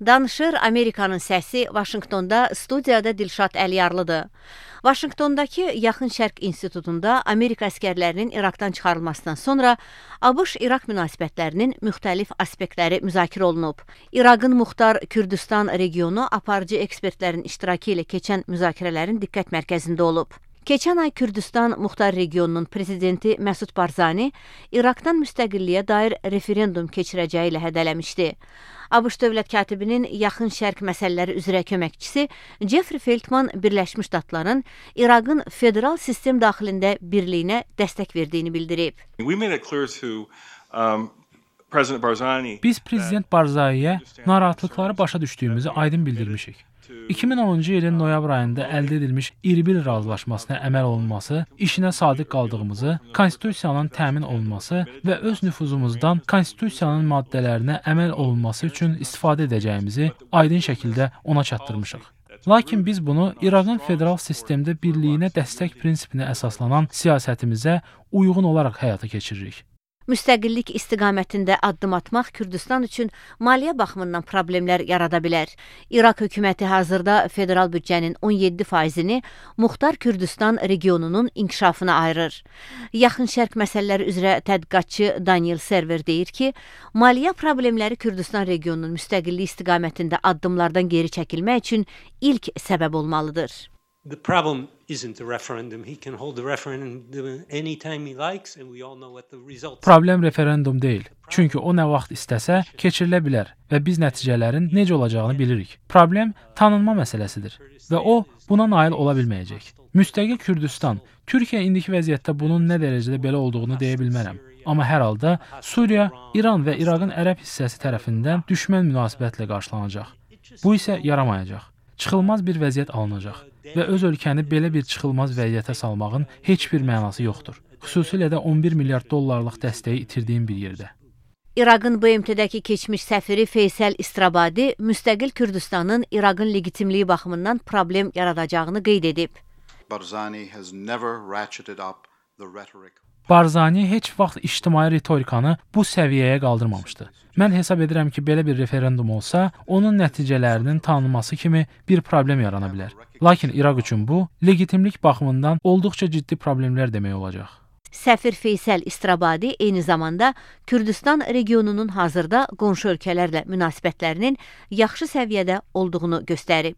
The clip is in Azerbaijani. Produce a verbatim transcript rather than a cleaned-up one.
Danışır Amerikanın səsi Vaşinqtonda studiyada Dilşad Əliyarlıdır. Vaşinqtondakı Yaxın Şərq İnstitutunda Amerika əskərlərinin İraqdan çıxarılmasından sonra ABŞ-İraq münasibətlərinin müxtəlif aspektləri müzakirə olunub. İraqın Muxtar Kürdistan regionu aparıcı ekspertlərin iştirakı ilə keçən müzakirələrin diqqət mərkəzində olub. Keçən ay Kürdistan Muxtar regionunun prezidenti Məsud Barzani İraqdan müstəqilliyə dair referendum keçirəcəyi ilə hədələmişdi. ABŞ dövlət katibinin Yaxın Şərq məsələləri üzrə köməkçisi Jeffrey Feltman Birləşmiş Ştatların İraqın federal sistem daxilində birliyinə dəstək verdiyini bildirib. Biz Prezident Barzaniyə narahatlıqları başa düşdüyümüzü aydın bildirmişik. iki min onuncu ilin noyabr ayında əldə edilmiş İrbil razılaşmasına əməl olunması, işinə sadiq qaldığımızı, konstitusiyanın təmin olunması və öz nüfuzumuzdan konstitusiyanın maddələrinə əməl olunması üçün istifadə edəcəyimizi aydın şəkildə ona çatdırmışıq. Lakin biz bunu İraqın federal sistemdə birliyinə dəstək prinsipinə əsaslanan siyasətimizə uyğun olaraq həyata keçiririk. Müstəqillik istiqamətində addım atmaq Kürdistan üçün maliyyə baxımından problemlər yarada bilər. İraq hökuməti hazırda federal büdcənin on yeddi faizini Muxtar Kürdistan regionunun inkişafına ayırır. Yaxın Şərq məsələləri üzrə tədqiqatçı Daniel Server deyir ki, maliyyə problemləri Kürdistan regionunun müstəqillik istiqamətində addımlardan geri çəkilmək üçün ilk səbəb olmalıdır. The problem isn't the referendum. He can hold the referendum anytime he likes and we all know what the results. Problem referendum deyil. Çünki o nə vaxt istəsə keçirilə bilər və biz nəticələrin necə olacağını bilirik. Problem tanınma məsələsidir və o buna nail ola bilməyəcək. Müstəqil Kürdistan, Türkiyə indiki vəziyyətdə bunun nə dərəcədə belə olduğunu deyə bilmərəm. Amma hər halda Suriya, İran və İraqın ərəb hissəsi tərəfindən düşmən münasibətlə qarşılanacaq. Bu isə yaramayacaq. Çıxılmaz bir vəziyyət alınacaq və öz ölkəni belə bir çıxılmaz vəziyyətə salmağın heç bir mənası yoxdur. Xüsusilə də on bir milyard dollarlıq dəstəyi itirdiyim bir yerdə. İraqın B M T-dəki keçmiş səfiri Feysəl İstrabadi müstəqil Kürdistanın İraqın legitimliyi baxımından problem yaradacağını qeyd edib. Barzani has never ratcheted up the rhetoric. Barzani heç vaxt ictimai ritorikanı bu səviyyəyə qaldırmamışdı. Mən hesab edirəm ki, belə bir referendum olsa, onun nəticələrinin tanınması kimi bir problem yarana bilər. Lakin İraq üçün bu, legitimlik baxımından olduqca ciddi problemlər demək olacaq. Səfir Feysəl İstrabadi eyni zamanda Kürdistan regionunun hazırda qonşu ölkələrlə münasibətlərinin yaxşı səviyyədə olduğunu göstərib.